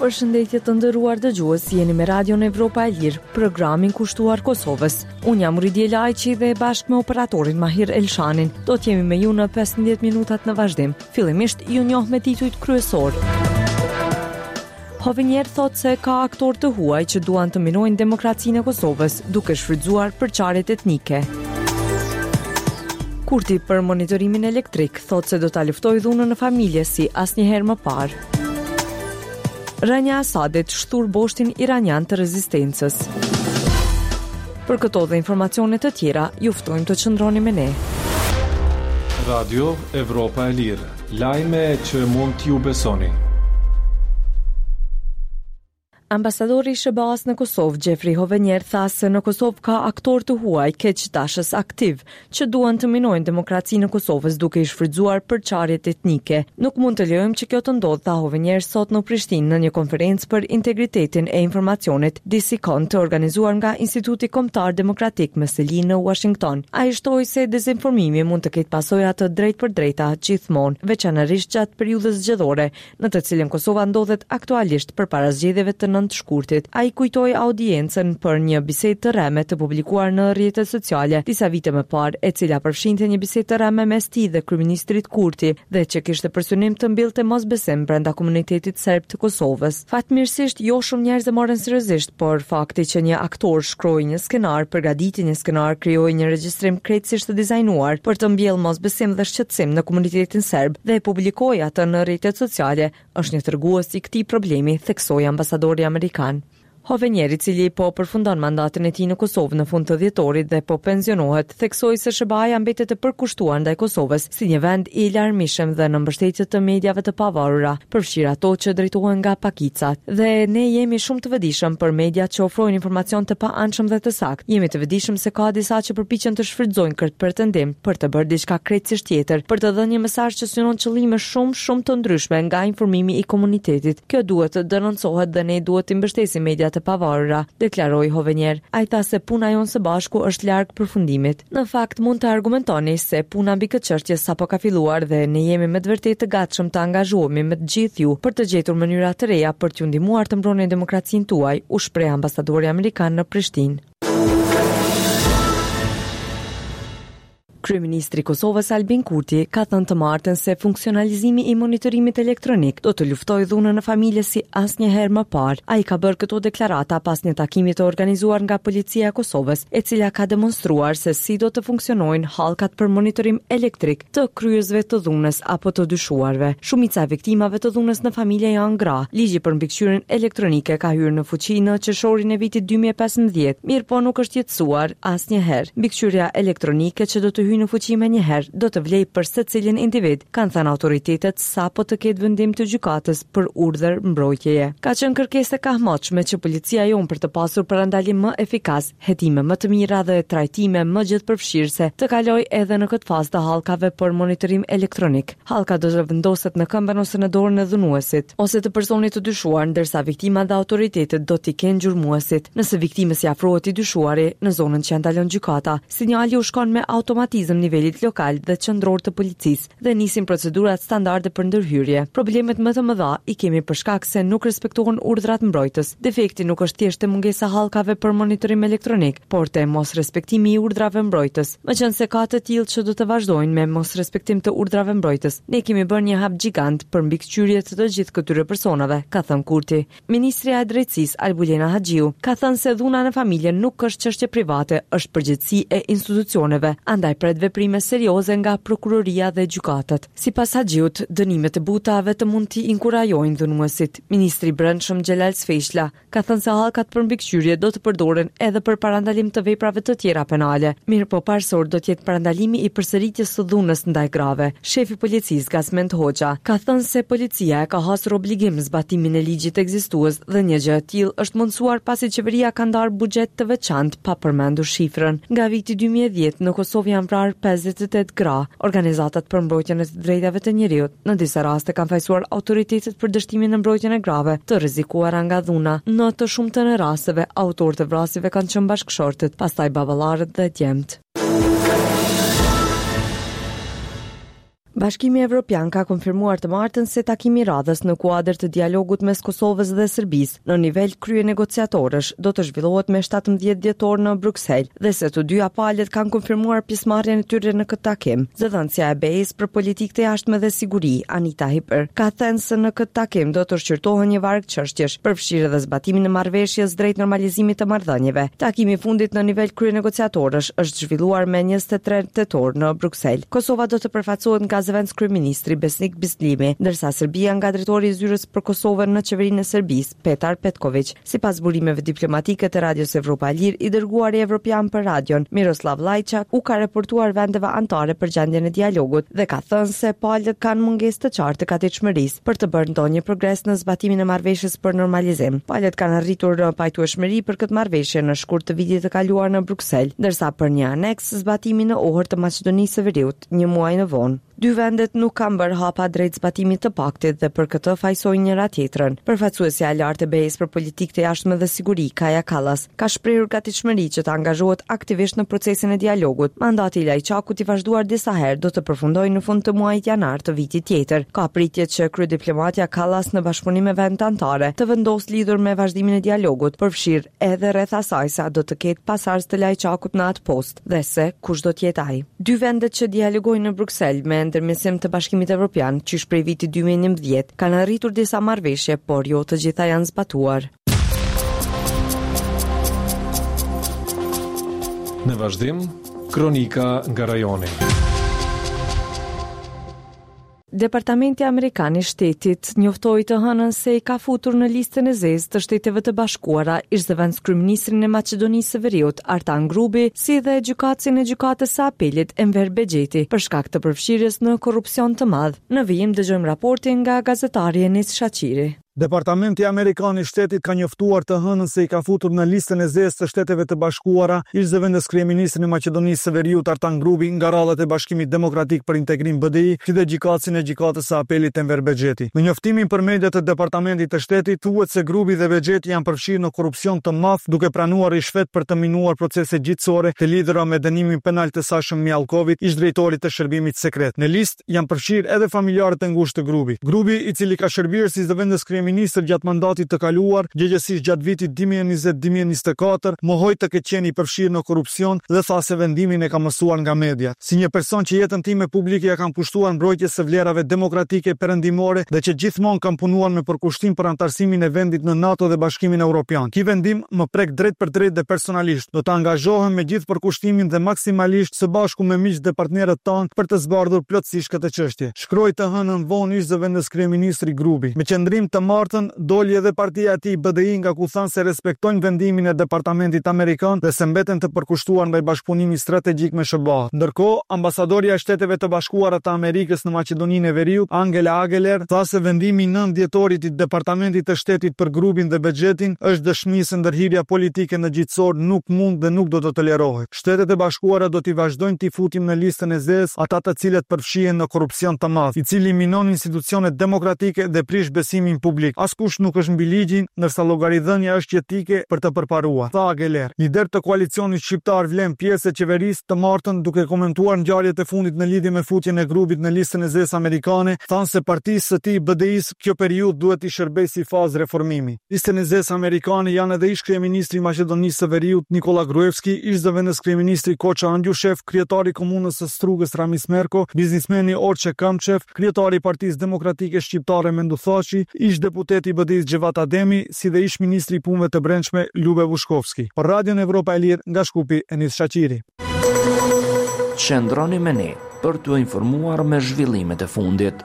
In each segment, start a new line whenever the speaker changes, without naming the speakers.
Përshëndetje të nderuar dëgjues, jeni me Radion Evropa e Lirë, programin kushtuar Kosovës. Unë jam Ridje Lajçi dhe bashkë me operatorin Mahir Elshanin, do të jemi me ju në 15 minutat në vazhdim. Fillimisht ju njoh me titujt kryesorë. Hovenier thotë se ka aktorë të huaj që duan të minojnë demokracinë e Kosovës, duke shfrytëzuar përçarjet etnike. Kurti për monitorimin elektrik thotë se do ta luftojë dhunën në familje si asnjëherë më parë. Rënia e Asadit shthur boshtin iranian të rezistencës. Për këto dhe informacione të tjera, ju ftojmë të qëndroni me ne.
Radio Evropa e Lirë, lajme që mund t'ju besoni.
Ambasadori i SHBA-së në Kosovë, Jeffrey Hovenier, tha se në Kosovë ka aktorë të huaj keqdashës aktivë, që duan të minojnë demokracinë e Kosovës duke i shfrytëzuar përçarjet etnike. Nuk mund të lejojmë që kjo të ndodhë, tha Hovenier sot në Prishtinë në një konferencë për integritetin e informacionit, DCCON, të organizuar nga Instituti Kombëtar Demokratik me seli në Uashington. Ai shtoi se dezinformimi mund të ketë pasoja të drejtpërdrejta gjithmonë, veçanërisht gjatë periudhës zgjedhore, në të cilën Kosova ndodhet aktualisht përpara zgjedhjeve të 9 shkurtit. Ai kujtoi audiencën për një bisedë të rreme të publikuar në rrjetet sociale disa vite më parë, e cila përfshinte një bisedë të rreme mes tij dhe kryeministrit Kurti dhe që kishte për synim të mbillte mosbesim brenda komunitetit serb të Kosovës. Fatmirësisht, jo shumë njerëz e morën seriozisht, por fakti që një aktor shkroi një skenar, përgatiti një skenar, krijoi një regjistrim krejtësisht të dizajnuar për të mbjellë mosbesim dhe shqetësim në komunitetin serb dhe e publikoi atë në rrjetet sociale, është një tregues i këtij problemi, theksoi ambasadori amerikan. Hovenier, i cili po përfundon mandatin e tij në Kosovë në fund të dhjetorit dhe po pensionohet, theksoi se SHBA-ja mbetet e përkushtuar ndaj Kosovës si një vend i larmishëm dhe në mbështetje të mediave të pavarura, përfshirë ato që drejtohen nga pakicat. Dhe ne jemi shumë të vetëdijshëm për mediat që ofrojnë informacion të paanshëm dhe të saktë. Jemi të vetëdijshëm se ka disa që përpiqen të shfrytëzojnë këtë pretendim për të bërë diçka krejtësisht tjetër, për të dhënë një mesazh që synon qëllime shumë, shumë të ndryshme nga informimi i komunitetit. Kjo duhet të denoncohet dhe ne duhet t'i mbështesim mediat e pavarura, deklaroi Hovenier. Ai tha se puna jonë së bashku është larg përfundimit. Në fakt, mund të argumentoni se puna mbi këtë çështje sapo ka filluar dhe ne jemi me të vërtetë të gatshëm të angazhohemi me të gjithë ju për të gjetur mënyra të reja për t'ju ndihmuar të mbroni demokracinë tuaj, u shpreh ambasadori amerikan në Prishtinë. Kryeministri i Kosovës Albin Kurti ka thënë të martën se funksionalizimi i monitorimit elektronik do të luftojë dhunën në familje si asnjëherë më parë. Ai ka bërë këto deklarata pas një takimi të organizuar nga Policia e Kosovës, e cila ka demonstruar se si do të funksionojnë hallkat për monitorim elektrik të kryesve të dhunës apo të dyshuarve. Shumica e viktimave të dhunës në familje janë gra. Ligji për mbikëqyrjen elektronike ka hyrë në fuqi në qershorin e vitit 2015, mirëpo nuk është jetësuar asnjëherë. Mbikëqyrja elektronike që do të hyjë në fuqi menjëherë do të vlejë për secilin individ, kanë thënë autoritetet sapo të ketë vendim të gjykatës për urdhër mbrojtjeje. Ka qenë kërkesë e kahmotshme që policia jonë për të pasur parandalim më efikas, hetime më të mira dhe trajtime më gjithëpërfshirëse të kalojë edhe në këtë fazë të hallkave për monitorim elektronik. Hallka do të vendoset në këmbën ose në dorën e dhunuesit, ose të personit të dyshuar, ndërsa viktimat dhe autoritetet do t'i kenë gjurmuesit. Nëse viktimës i afrohet i dyshuari, në zonën që ia ndalon gjykata, sinjali u shkon me automatizëm nivelit lokal dhe qendror të policisë, dhe nisin procedurat standarde për ndërhyrje. Problemet më të mëdha i kemi për shkak se nuk respektohen urdhrat mbrojtës. Defekti nuk është thjesht te mungesa e hallkave për monitorim elektronik, por te mosrespektimi i urdhrave mbrojtës. Meqenëse ka të tillë që do të vazhdojnë me mosrespektim të urdhrave mbrojtës, ne kemi bërë një hap gjigant për mbikëqyrje të të gjithë këtyre personave, ka thënë Kurti. Ministrja e Drejtësisë, Albulena Haxhiu, ka thënë se dhuna në familje nuk është çështje private, është përgjegjësi e institucioneve, andaj pret veprime serioze nga prokuroria dhe gjykatat. Sipas Haxhiut, dënimet e buta vetëm mund t'i inkurajojnë dhunuesit. Ministri i Brendshëm Xhelal Sveçla, ka thënë se hallkat për mbikëqyrje do të përdoren edhe për parandalim të veprave të tjera penale, mirëpo parësor do të jetë parandalimi i përsëritjes së dhunës ndaj grave. Shefi i policisë, Gazmend Hoxha, ka thënë se policia e ka hasur obligim zbatimin e ligjit ekzistues dhe një gjë e tillë është mundësuar pasi qeveria ka ndarë buxhet të veçantë pa përmendur shifrën. Nga viti 2010 në Kosovë janë vrarë 58 gra. Organizatat për mbrojtjen e të drejtave të njeriut në disa raste kanë fajësuar autoritetet për dështimin në mbrojtjen e grave të rrezikuara nga dhuna. Në të shumtën e rasteve, autorët e vrasjeve kanë qenë bashkëshortët, pastaj baballarët dhe djemtë. Bashkimi Evropian ka konfirmuar të martën se takimi i radhës në kuadër të dialogut mes Kosovës dhe Serbisë në nivel kryenegociatorësh do të zhvillohet me 17 dhjetor në Bruksel dhe se të dyja palët kanë konfirmuar pjesëmarrjen e tyre në këtë takim. Zëdhënësja e BE-së për politikë të jashtme dhe siguri, Anita Hipper, ka thënë se në këtë takim do të shqyrtohen një varg çështjesh, përfshirë edhe zbatimin e marrëveshjes drejt normalizimit të marrëdhënieve. Takimi i fundit në nivel kryenegociatorësh është zhvilluar me 23 tetor në Bruksel. Kosova do të përfaqësohet nga zëvendëskryeministri Besnik Bislimi, ndërsa Serbia nga drejtori i Zyrës për Kosovën në Qeverinë e Serbisë, Petar Petkoviq. Sipas burimeve diplomatike të Radios Evropa e Lirë, i dërguari evropian për rajon, Miroslav Lajçak, u ka raportuar vendeve anëtare për gjendjen e dialogut dhe ka thënë se palët kanë mungesë të qartë të gatishmërisë për të bërë ndonjë progres në zbatimin e marrëveshjes për normalizim. Palët kanë arritur pajtueshmëri për këtë marrëveshje në shkurt të vitit të kaluar në Bruksel, ndërsa për një aneks zbatimi në Ohër të Maqedonisë së Veriut një muaj më vonë. Dy vendet nuk kanë bërë hapa drejt zbatimit të paktit dhe për këtë fajësojnë njëra-tjetrën. Përfaqësuesja e lartë e BE-së për politikë të jashtme dhe siguri, Kaja Kallas, ka shprehur gatishmëri që të angazhohet aktivisht në procesin e dialogut. Mandati i Lajçakut i vazhduar disa herë do të përfundojë në fund të muajit janar të vitit tjetër. Ka pritje që kryediplomatja Kallas në bashkëpunim me vendet anëtare të vendosë lidhur me vazhdimin e dialogut, përfshirë edhe rreth asaj se a do të ketë pasardhës të Lajçakut në atë post dhe se kush do të jetë ai. Dy vendet që dialogojnë në Bruksel me ndërmjetësim të Bashkimit Evropian qysh prej vitit 2011 kanë arritur disa marrëveshje, por jo të gjitha janë zbatuar.
Në vazhdim, kronika nga rajoni.
Departamenti Amerikan i Shtetit njoftoi të hënën se i ka futur në listën e zezë të Shteteve të Bashkuara ish-zëvendëskryeministrin e Maqedonisë së Veriut, Artan Grubi, si dhe gjykatësin e Gjykatës së Apelit, Enver Bexheti, për shkak të përfshirjes në korrupsion të madh. Në vijim dëgjojmë raportin nga gazetari Enis Shaqiri.
Departamenti Amerikan i Shtetit ka njoftuar të hënën se i ka futur në listën e zezë të Shteteve të Bashkuara ish-zëvendëskryeministrin e Maqedonisë së Veriut Artan Grubi nga radhët e Bashkimit Demokratik për Integrim BDI si dhe gjykatësin e Gjykatës së Apelit Enver Bexheti. Në njoftimin për media të Departamentit të Shtetit thuhet se Grubi dhe Bexheti janë përfshirë në korrupsion të madh duke pranuar ryshfet për të minuar procese gjyqësore të lidhura me dënimin penal të Sasho Mijallkovit, ish-drejtorit të Shërbimit Sekret. Në listë janë përfshirë edhe familjarët e ngushtë të Grubit. Grubi, i cili ka shërbyer si zëvendëskryeministër gjatë mandatit të kaluar, gjegjësisht gjatë vitit 2020 2024, mohoi të ketë qenë i përfshirë në korrupsion dhe tha se vendimin e ka mësuar nga mediat. Si një person që jetën time publike ia kam kushtuar mbrojtjes së vlerave demokratike perëndimore dhe që gjithmonë kam punuar me përkushtim për anëtarësimin e vendit në NATO dhe Bashkimin Europian. Ky vendim më prek drejtpërdrejt dhe personalisht. Do të angazhohem me gjithë përkushtimin dhe maksimalisht së bashku me miqtë dhe partnerët tanë për të zbardhur plotësisht këtë çështje, shkroi të hënën vonë ish-zëvendëskryeministri Grubi. Me qëndrim të martën, doli edhe partia e tij BDI nga ku thanë se respektojnë vendimin e Departamentit Amerikan dhe se mbeten të përkushtuar ndaj bashkëpunimit strategjik me SHBA-të. Ndërkohë, ambasadorja e Shteteve të Bashkuara të Amerikës në Maqedoninë e Veriut, Angela Ageler, tha se vendimi i 9 dhjetorit i Departamentit të Shtetit për Grubin dhe Bexhetin është dëshmi se ndërhyrja politike në gjyqësor nuk mund dhe nuk do të tolerohet. Shtetet e Bashkuara do t'i vazhdojnë t'i futin në listën e zezë ata të cilët përfshihen në korrupsion të madh, i cili minon institucionet demokratike dhe prish besimin publik. Askush nuk është mbi ligjin, ndërsa llogaridhënia është jetike për të përparuar, tha Ageler. Liderë të koalicionit shqiptar Vlen pjesë e qeverisë, të martën, duke komentuar ngjarjet e fundit në lidhje me futjen e Grubit në listën e zezë amerikane, thanë se partisë së tij, BDI-së, kjo periudhë duhet t'i shërbejë si fazë reformimi. Listën e zezë amerikane janë edhe ish-kryeministri i Maqedonisë së Veriut, Nikolla Gruevski, ish-zëvendëskryeministri Koço Angjushev, kryetari i Komunës së Strugës Ramiz Merko, biznismeni Orçe Kamçev, kryetari i Partisë Demokratike Shqiptare Menduh Thaçi, ish-deputeti i BDI-së Xhevat Ademi, si dhe ish-ministri i Punëve të Brendshme Lube Bushkovski. Për Radion Evropa e Lirë, nga Shkupi, Enis Shaqiri.
Qëndroni me ne për t'u informuar me zhvillimet e fundit.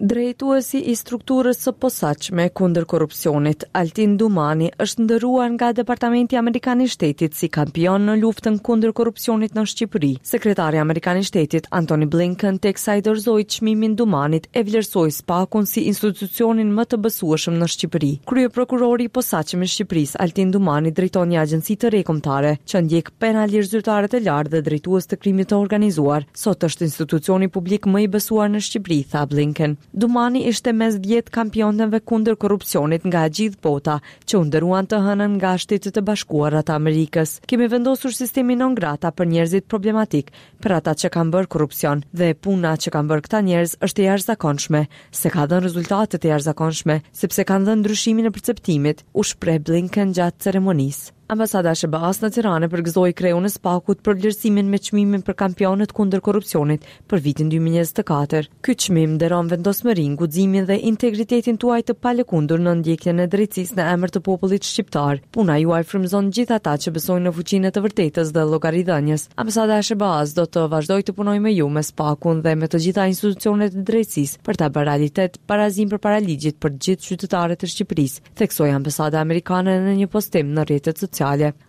Drejtuesi i strukturës së posaçme kundër korrupsionit, Altin Dumani, është nderuar nga Departamenti Amerikan i Shtetit si kampion në luftën kundër korrupsionit në Shqipëri. Sekretari amerikan i Shtetit, Antony Blinken, teksa i dorëzoi çmimin Dumanit, e vlerësoi SPAK-un si institucionin më të besueshëm në Shqipëri. Kryeprokurori i posaçëm i Shqipërisë, Altin Dumani, drejton një agjenci të re kombëtare, që ndjek penalisht zyrtarët e lartë dhe drejtues të krimit të organizuar. Sot është institucioni publik më i besuar në Shqipëri, tha Blinken. Dumani ishte mes 10 kampionëve kundër korrupsionit nga e gjithë bota, që u nderuan të hënën nga Shtetet e Bashkuara të Amerikës. Kemi vendosur sistemin non grata për njerëzit problematikë, për ata që kanë bërë korrupsion dhe puna që kanë bërë këta njerëz është e jashtëzakonshme, se ka dhënë rezultate të jashtëzakonshme, sepse kanë dhënë ndryshimin e perceptimit, u shpreh Blinken gjatë ceremonisë. Ambasada e SHBA-së në Tiranë përgëzoi kreun e SPAK-ut për vlerësimin me çmimin për kampionët kundër korrupsionit për vitin 2024. Ky çmim nderon vendosmërinë, guximin dhe integritetin tuaj të palëkundur në ndjekjen e drejtësisë në emër të popullit shqiptar. Puna juaj frymëzon gjithë ata që besojnë në fuqinë e të vërtetës dhe llogaridhënies. Ambasada e SHBA-së do të vazhdojë të punojë me ju, me SPAK-un dhe me të gjitha institucionet e drejtësisë për ta bërë realitet barazinë përpara ligjit për të gjithë qytetarët e Shqipërisë, theksoi ambasada amerikane në një postim në rrjetet sociale.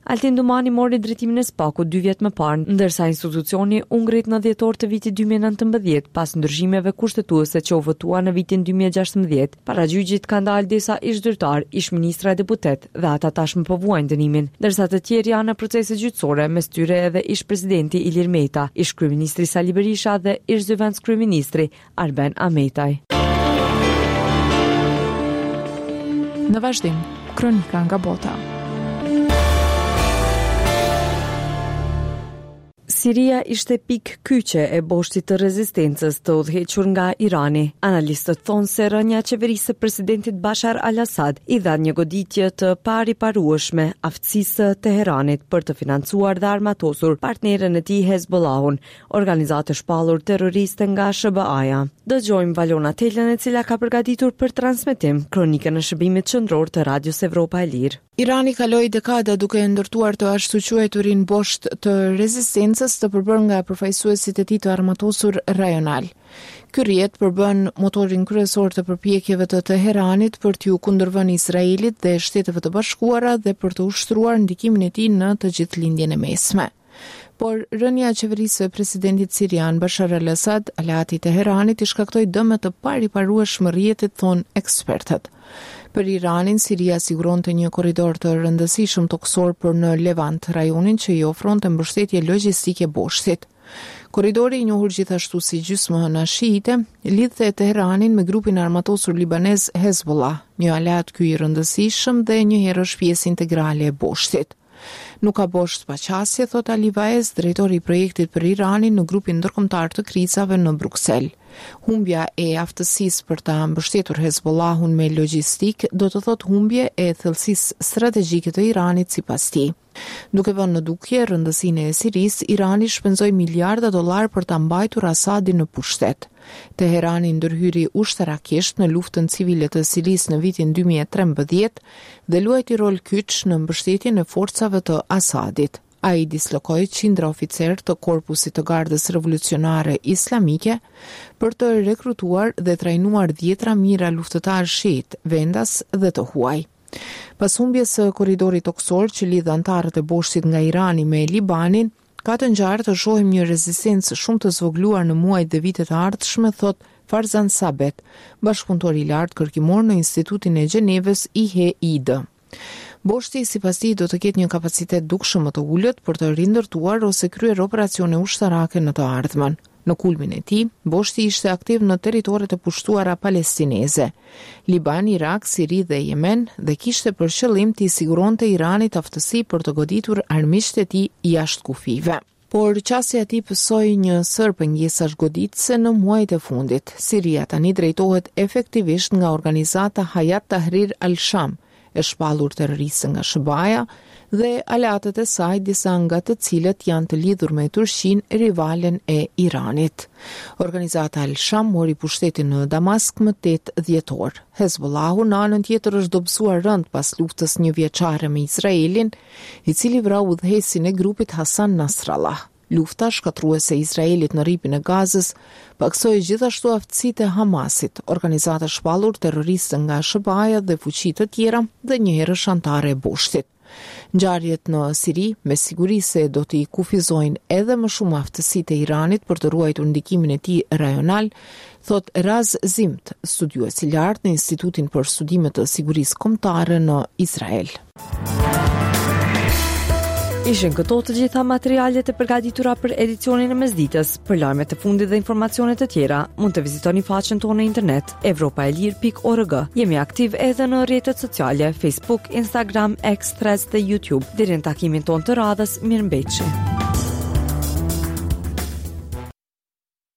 Altin Dumani mori drejtimin e SPAK-ut dy vjet më parë, ndërsa institucioni u ngrit në dhjetor të vitit 2019 pas ndryshimeve kushtetuese që u votuan në vitin 2016. Para gjyqit kanë dalë disa ish-zyrtarë, ish-ministra e deputetë dhe ata tashmë po vuajnë dënimin, ndërsa të tjerë janë në procese gjyqësore, mes tyre edhe ish-presidenti Ilir Meta, ish-kryeministri Sali Berisha dhe ish-zëvendëskryeministri Arben Ahmetaj.
Në vazhdim, kronika nga bota.
Siria ishte pikë kyçe e boshtit të rezistencës të udhëhequr nga Irani. Analistët thonë se rënia e qeverisë së presidentit Bashar al-Assad i dha një goditje të pariparueshme aftësisë së Teheranit për të financuar dhe armatosur partneren e tij Hezbollahun, organizatë e shpallur terroriste nga SHBA-ja. Dëgjojmë Valona Telën e cila ka përgatitur për transmetim kronikën e shërbimit qendror të Radios Evropa e Lirë.
Irani kaloi dekada duke ndërtuar të ashtuquajturin bosht të rezistencës të përbërë nga përfaqësuesit e tij të armatosur rajonalë. Ky rrjet përbën motorin kryesor të përpjekjeve të Teheranit për t'iu kundërvënë Izraelit dhe Shteteve të Bashkuara dhe për të ushtruar ndikimin e tij në të gjithë Lindjen e Mesme. Por rënia e qeverisë së presidentit sirian Bashar al-Assad, aleat i Teheranit, i shkaktoi dëme të pariparueshme rrjetit, thonë ekspertët. Për Iranin, Siria siguronte një korridor të rëndësishëm tokësor për në Levant, rajonin që i ofronte mbështetje logjistike boshtit. Korridori i njohur gjithashtu si gjysmëhëna shiite, lidhte Teheranin me grupin e armatosur libanez Hezbollah, një aleat ky i rëndësishëm dhe njëherësh pjesë integrale e boshtit. Nuk ka bosht pa qasje, thotë Ali Vaez, drejtor i projektit për Iranin në grupin ndërkombëtar të krizave në Bruksel. Humbja e aftësisë për ta mbështetur Hezbollahun me logjistikë do të thotë humbje e thellësisë strategjike të Iranit sipas tij. Duke vënë në dukje rëndësinë e Sirisë, Irani shpenzoi miliarda dollarë për ta mbajtur Asadin në pushtet. Teherani ndërhyri ushtarakisht në luftën civile të Sirisë në vitin 2013 dhe luajti rol kyç në mbështetjen e forcave të Asadit. Ai dislokoi qindra oficerë të Korpusit të Gardës Revolucionare Islamike për të rekrutuar dhe trajnuar dhjetra mijëra luftëtarë shiitë, vendas dhe të huaj. Pas humbjes së korridorit tokësor që lidh anëtarët e boshtit nga Irani me Libanin, Ka të ngjarë të shohim një rezistencë shumë të zvogëluar në muajt dhe vitet e ardhshme, thotë Farzan Sabet, bashkëpunëtor i lartë kërkimor në Institutin e Gjenevës IHID. Boshti, sipas tij, do të ketë një kapacitet dukshëm më të ulët për të rindërtuar ose kryer operacione ushtarake në të ardhmen. Në kulmin e tij, boshti ishte aktiv në territoret e pushtuara palestineze, Liban, Irak, Siri dhe Jemen dhe kishte për qëllim t'i siguronte Iranit aftësi për të goditur armiqtë e tij jashtë kufijve. Por qasja e tij pësoi një sërë pengesash goditëse në muajt e fundit. Siria tani drejtohet efektivisht nga organizata Hayat Tahrir al-Sham, e shpallur terroriste nga SHBA-ja dhe aleatët e saj, disa nga të cilët janë të lidhur me Turqinë, rivalen e Iranit. Organizata Al-Sham mori pushtetin në Damask më 8 dhjetor. Hezbollahu në anën tjetër është dobësuar rëndë pas luftës njëvjeçare me Izraelin, i cili vrau udhëheqësin e grupit Hassan Nasrallah. Lufta shkatërruese e Izraelit në Rripin e Gazës pakësoi gjithashtu aftësitë e Hamasit, organizatë e shpallur terroriste nga SHBA-ja dhe fuqi të tjera dhe njëherësh anëtare e boshtit. Ngjarjet në Siri me siguri se do t'i kufizojnë edhe më shumë aftësitë e Iranit për të ruajtur ndikimin e tij rajonal, thotë Raz Zimmt, studiues i lartë në Institutin për Studime të Sigurisë Kombëtare në Izrael.
Ishin këto të gjitha materialet e përgatitura për edicionin e mesditës. Për lajmet e fundit dhe informacione të tjera, mund të vizitoni faqen tonë në internet evropaelire.org. Jemi aktiv edhe në rrjetet sociale Facebook, Instagram, X, Threads dhe YouTube. Deri në takimin tonë të radhës, mirëmbetshi.